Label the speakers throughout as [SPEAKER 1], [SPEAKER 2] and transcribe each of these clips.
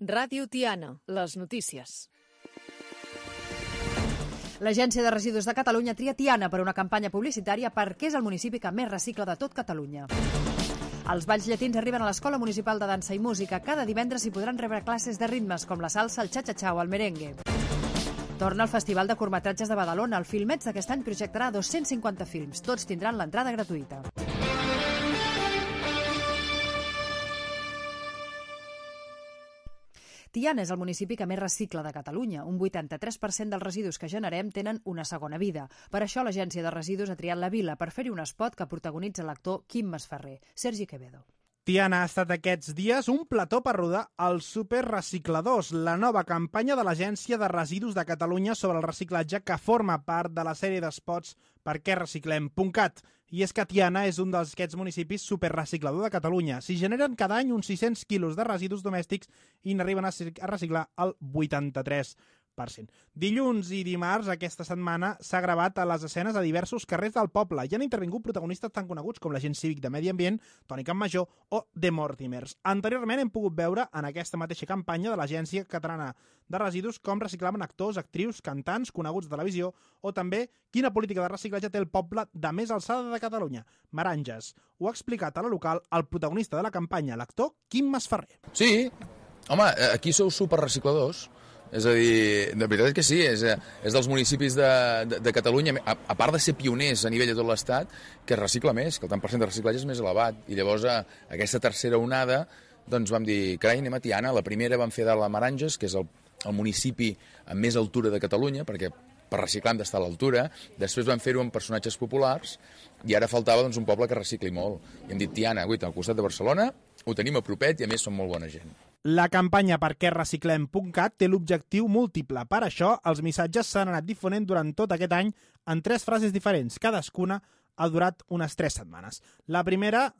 [SPEAKER 1] Ràdio Tiana, les notícies.
[SPEAKER 2] L'Agència de Residus de Catalunya tria Tiana per una campanya publicitària perquè és el municipi que més recicla de tot Catalunya. Els balls llatins arriben a l'Escola Municipal de Dansa i Música. Cada divendres hi podran rebre classes de ritmes com la salsa, el cha-cha-cha o el merengue. Torna al Festival de Curtmetratges de Badalona. El Filmets d'aquest any projectarà 250 films. Tots tindran l'entrada gratuïta. Tiana és el municipi que més recicla de Catalunya. Un 83% dels residus que generem tenen una segona vida. Per això l'Agència de Residus ha triat la vila per fer-hi un espot que protagonitza l'actor Quim Masferrer. Sergi Quevedo.
[SPEAKER 3] Tiana ha estat aquests dies un plató per rodar els Superrecicladors, la nova campanya de l'Agència de Residus de Catalunya sobre el reciclatge que forma part de la sèrie d'espots perquereciclem.cat. I és que Tiana és un d'aquests municipis superreciclador de Catalunya. S'hi generen cada any uns 600 quilos de residus domèstics i n'arriben a reciclar el 83%. Dilluns i dimarts aquesta setmana s'ha gravat a les escenes a diversos carrers del poble i han intervingut protagonistes tan coneguts com l'agent cívic de Medi Ambient, Toni Campmajor o The Mortimers. Anteriorment hem pogut veure en aquesta mateixa campanya de l'Agència Catalana de Residus com reciclaven actors, actrius, cantants, coneguts de televisió o també quina política de reciclatge té el poble de més alçada de Catalunya, Meranges. Ho ha explicat a la local el protagonista de la campanya, l'actor Quim Masferrer.
[SPEAKER 4] Sí, home, aquí sou superrecicladors. És a dir, de veritat que sí, és dels municipis de Catalunya, a part de ser pioners a nivell de tot l'Estat, que es recicla més, que el tant % de reciclatge és més elevat. I llavors, aquesta tercera onada, doncs vam dir, carai, anem a Tiana. La primera vam fer de la Meranges, que és el municipi amb més altura de Catalunya, perquè per reciclar hem d'estar a l'altura. Després vam fer-ho amb personatges populars i ara faltava doncs, un poble que recicli molt. I hem dit, Tiana, al costat de Barcelona, ho tenim a propet i a més som molt bona gent.
[SPEAKER 3] La campanya perquereciclem.cat té l'objectiu múltiple. Per això, els missatges s'han anat difonent durant tot aquest any en 3 frases diferents. Cadascuna ha durat unes 3 setmanes. La primera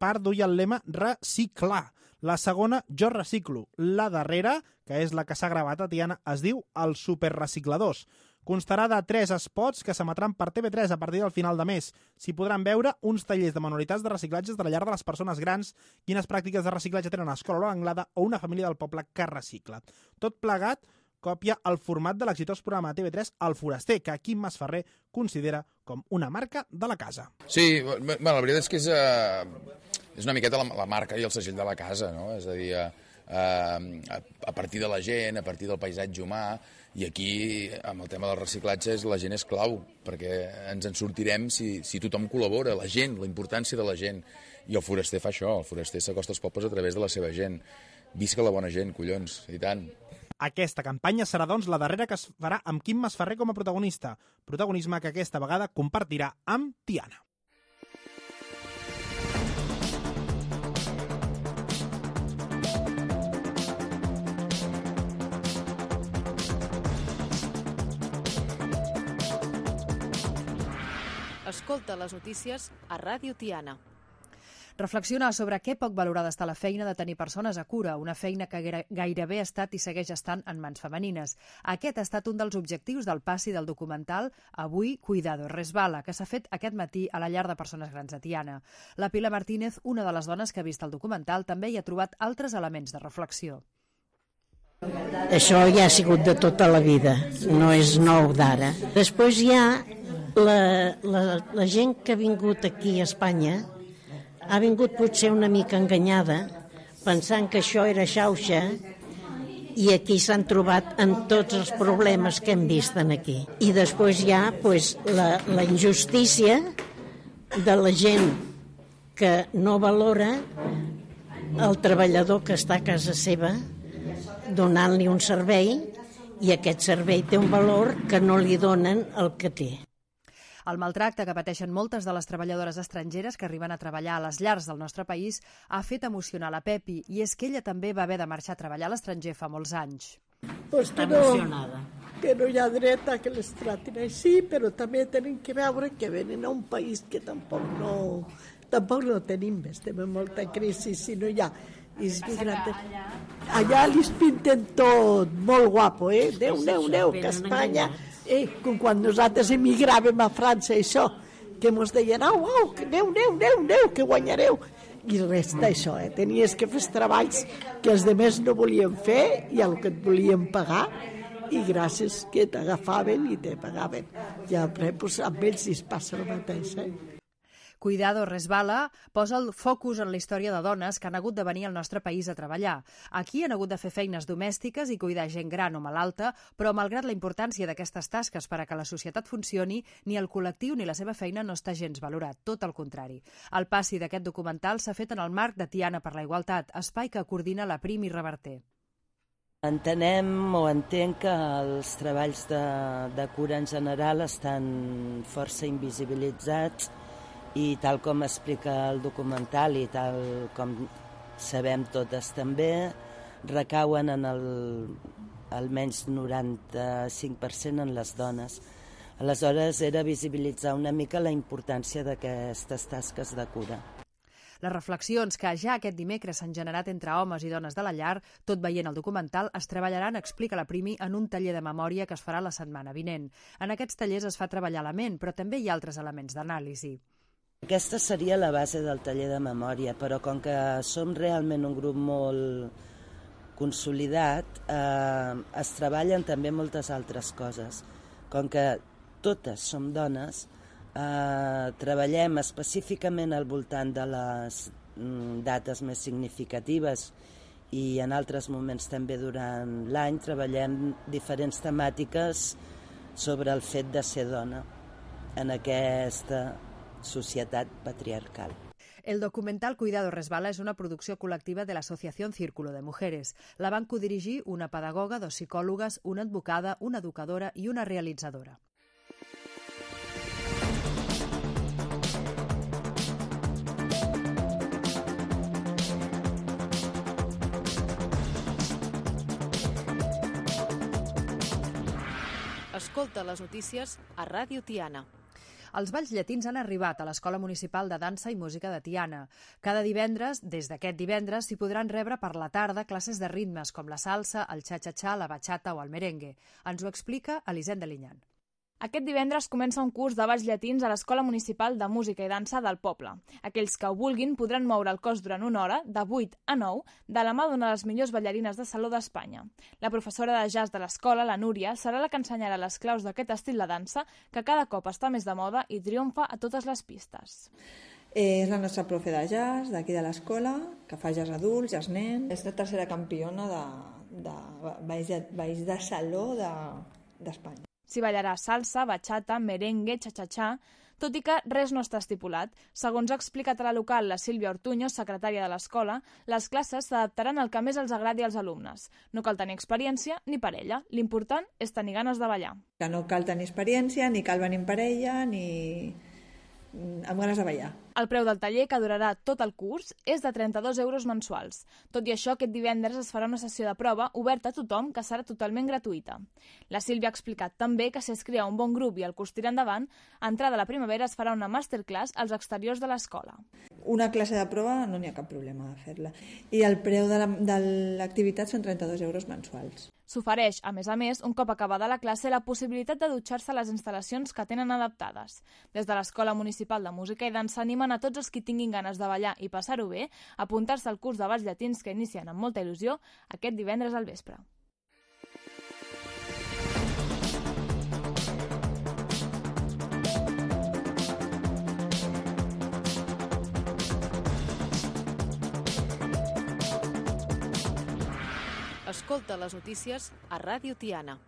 [SPEAKER 3] part duia el lema reciclar. La segona, jo reciclo. La darrera, que és la que s'ha gravat a Tiana, es diu els Superrecicladors. Constarà de 3 spots que s'emetran per TV3 a partir del final de mes. S'hi podran veure uns tallers de manualitats de reciclatges de la llar de les persones grans, quines pràctiques de reciclatge tenen a Escola l'Anglada o una família del poble que recicla. Tot plegat copia el format de l'exitós programa de TV3 El Foraster, que Quim Masferrer considera com una marca de la casa.
[SPEAKER 4] Sí, la veritat és que és una miqueta la marca i el segell de la casa, no? És a dir, a partir de la gent, a partir del paisatge humà, i aquí, amb el tema del reciclatge, la gent és clau, perquè ens en sortirem si tothom col·labora, la gent, la importància de la gent. I el Foraster fa això, el Foraster s'acosta als pobles a través de la seva gent. Visca la bona gent, collons, i tant.
[SPEAKER 3] Aquesta campanya serà, doncs, la darrera que es farà amb Quim Masferrer com a protagonista. Protagonisme que aquesta vegada compartirà amb Tiana.
[SPEAKER 1] Escolta les notícies a Ràdio Tiana.
[SPEAKER 2] Reflexiona sobre què poc valorada està la feina de tenir persones a cura, una feina que gairebé ha estat i segueix estant en mans femenines. Aquest ha estat un dels objectius del passi del documental Avui Cuidado Resbala, que s'ha fet aquest matí a la llar de persones grans de Tiana. La Pilar Martínez, una de les dones que ha vist el documental, també hi ha trobat altres elements de reflexió.
[SPEAKER 5] Això ja ha sigut de tota la vida, no és nou d'ara. Després hi ha la gent que ha vingut aquí a Espanya, ha vingut potser una mica enganyada, pensant que això era xauxa, i aquí s'han trobat amb tots els problemes que hem vist aquí. I després hi ha la injustícia de la gent que no valora el treballador que està a casa seva donant-li un servei, i aquest servei té un valor que no li donen el que té.
[SPEAKER 2] El maltracte que pateixen moltes de les treballadores estrangeres que arriben a treballar a les llars del nostre país ha fet emocionar la Pepi, i és que ella també va haver de marxar a treballar a l'estranger fa molts anys.
[SPEAKER 5] Pues que no hi ha dret a que les tratin així, però també tenen que veure que venen a un país que tampoc no tenim, estem en molta crisi, si no hi ha. Allà li pinten tot molt guapo, Déu, que Espanya, com quan nosaltres emigràvem a França, això, que mos deien, au, que aneu, que guanyareu. I resta això, tenies que fer els treballs que els demés no volien fer i el que et volien pagar, i gràcies que t'agafaven i te pagaven. I després amb ells es passa el mateix.
[SPEAKER 2] Cuidado Resbala posa el focus en la història de dones que han hagut de venir al nostre país a treballar. Aquí han hagut de fer feines domèstiques i cuidar gent gran o malalta, però malgrat la importància d'aquestes tasques per a que la societat funcioni, ni el col·lectiu ni la seva feina no està gens valorat, tot el contrari. El passi d'aquest documental s'ha fet en el marc de Tiana per la Igualtat, espai que coordina la Prim i Reverter.
[SPEAKER 6] Entenem o entenc que els treballs de cura en general estan força invisibilitzats i tal com explica el documental i tal com sabem totes també, recauen en almenys 95% en les dones. Aleshores era visibilitzar una mica la importància d'aquestes tasques de cura.
[SPEAKER 2] Les reflexions que ja aquest dimecres s'han generat entre homes i dones de la llar, tot veient el documental, es treballaran, explica la Primi, en un taller de memòria que es farà la setmana vinent. En aquests tallers es fa treballar la ment, però també hi ha altres elements d'anàlisi.
[SPEAKER 6] Aquesta seria la base del taller de memòria, però com que som realment un grup molt consolidat, es treballen també moltes altres coses. Com que totes som dones, treballem específicament al voltant de les dates més significatives i en altres moments també durant l'any treballem diferents temàtiques sobre el fet de ser dona en aquesta societat patriarcal.
[SPEAKER 2] El documental Cuidado Resbala és una producció col·lectiva de l'Associació Círculo de Mujeres. La van codirigir una pedagoga, 2 psicòlogues, una advocada, una educadora i una realitzadora.
[SPEAKER 1] Escolta les notícies a Ràdio Tiana.
[SPEAKER 2] Els balls llatins han arribat a l'Escola Municipal de Dansa i Música de Tiana. Cada divendres, des d'aquest divendres, s'hi podran rebre per la tarda classes de ritmes com la salsa, el cha-cha-cha, la bachata o el merengue. Ens ho explica Elisenda Linyan.
[SPEAKER 7] Aquest divendres comença un curs de balls llatins a l'Escola Municipal de Música i Dansa del poble. Aquells que ho vulguin podran moure el cos durant una hora, de 8 a 9, de la mà d'una de les millors ballarines de saló d'Espanya. La professora de jazz de l'escola, la Núria, serà la que ensenyarà les claus d'aquest estil de dansa que cada cop està més de moda i triomfa a totes les pistes.
[SPEAKER 8] És la nostra profe de jazz d'aquí de l'escola, que fa jazz adults, jazz nens. És la tercera campiona de balls de saló d'Espanya.
[SPEAKER 7] S'hi ballarà salsa, bachata, merengue, cha-cha-cha, tot i que res no està estipulat. Segons ha explicat a la local la Sílvia Ortuño, secretària de l'escola, les classes s'adaptaran al que més els agradi als alumnes. No cal tenir experiència ni parella. L'important és tenir ganes de ballar.
[SPEAKER 8] Que no cal tenir experiència, ni cal venir en parella, ni amb ganes de ballar.
[SPEAKER 7] El preu del taller, que durarà tot el curs, és de 32 euros mensuals. Tot i això, aquest divendres es farà una sessió de prova oberta a tothom, que serà totalment gratuïta. La Sílvia ha explicat també que si es crea un bon grup i el curs tira endavant, a entrada a la primavera es farà una masterclass als exteriors de l'escola.
[SPEAKER 8] Una classe de prova no n'hi ha cap problema de fer-la. I el preu de l'activitat són 32 euros mensuals.
[SPEAKER 7] S'ofereix, a més, un cop acabada la classe, la possibilitat de dutxar-se a les instal·lacions que tenen adaptades. Des de l'Escola Municipal de Música i Dansa animen a tots els que tinguin ganes de ballar i passar-ho bé a apuntar-se al curs de balls llatins que inicien amb molta il·lusió aquest divendres al vespre.
[SPEAKER 1] Escolta les notícies a Ràdio Tiana.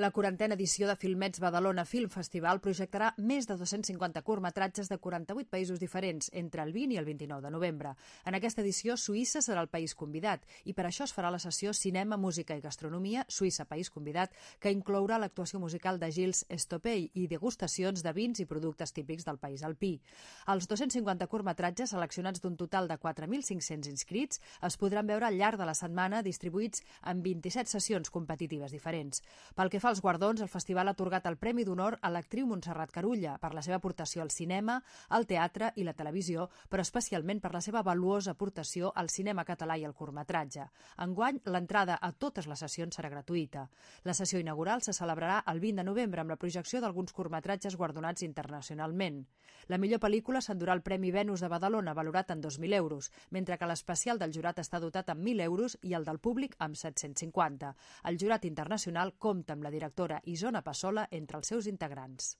[SPEAKER 2] La 40a edició de Filmets Badalona Film Festival projectarà més de 250 curtmetratges de 48 països diferents entre el 20 i el 29 de novembre. En aquesta edició, Suïssa serà el país convidat i per això es farà la sessió Cinema, Música i Gastronomia, Suïssa País Convidat, que inclourà l'actuació musical de Gilles Estopey i degustacions de vins i productes típics del país alpí. Els 250 curtmetratges, seleccionats d'un total de 4.500 inscrits, es podran veure al llarg de la setmana distribuïts en 27 sessions competitives diferents. Pel que fa als guardons, el festival ha atorgat el Premi d'Honor a l'actriu Montserrat Carulla per la seva aportació al cinema, al teatre i la televisió, però especialment per la seva valuosa aportació al cinema català i al curtmetratge. Enguany, l'entrada a totes les sessions serà gratuïta. La sessió inaugural se celebrarà el 20 de novembre amb la projecció d'alguns curtmetratges guardonats internacionalment. La millor pel·lícula s'endurà el Premi Venus de Badalona, valorat en 2.000 euros, mentre que l'especial del jurat està dotat amb 1.000 euros i el del públic amb 750. El jurat internacional compta amb la directora Isona Passola entre els seus integrants.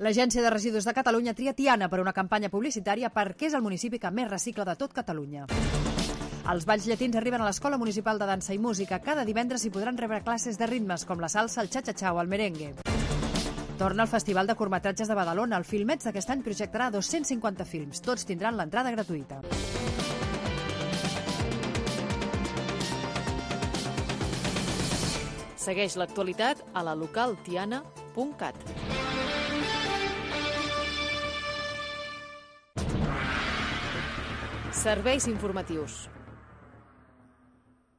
[SPEAKER 2] L'Agència de Residus de Catalunya tria Tiana per una campanya publicitària perquè és el municipi que més recicla de tot Catalunya. Els balls llatins arriben a l'Escola Municipal de Dansa i Música. Cada divendres hi podran rebre classes de ritmes com la salsa, el cha-cha-cha o el merengue. Torna al Festival de Curtmetratges de Badalona. El Filmets d'aquest any projectarà 250 films. Tots tindran l'entrada gratuïta.
[SPEAKER 1] Segueix l'actualitat a la localtiana.cat. Serveis informatius.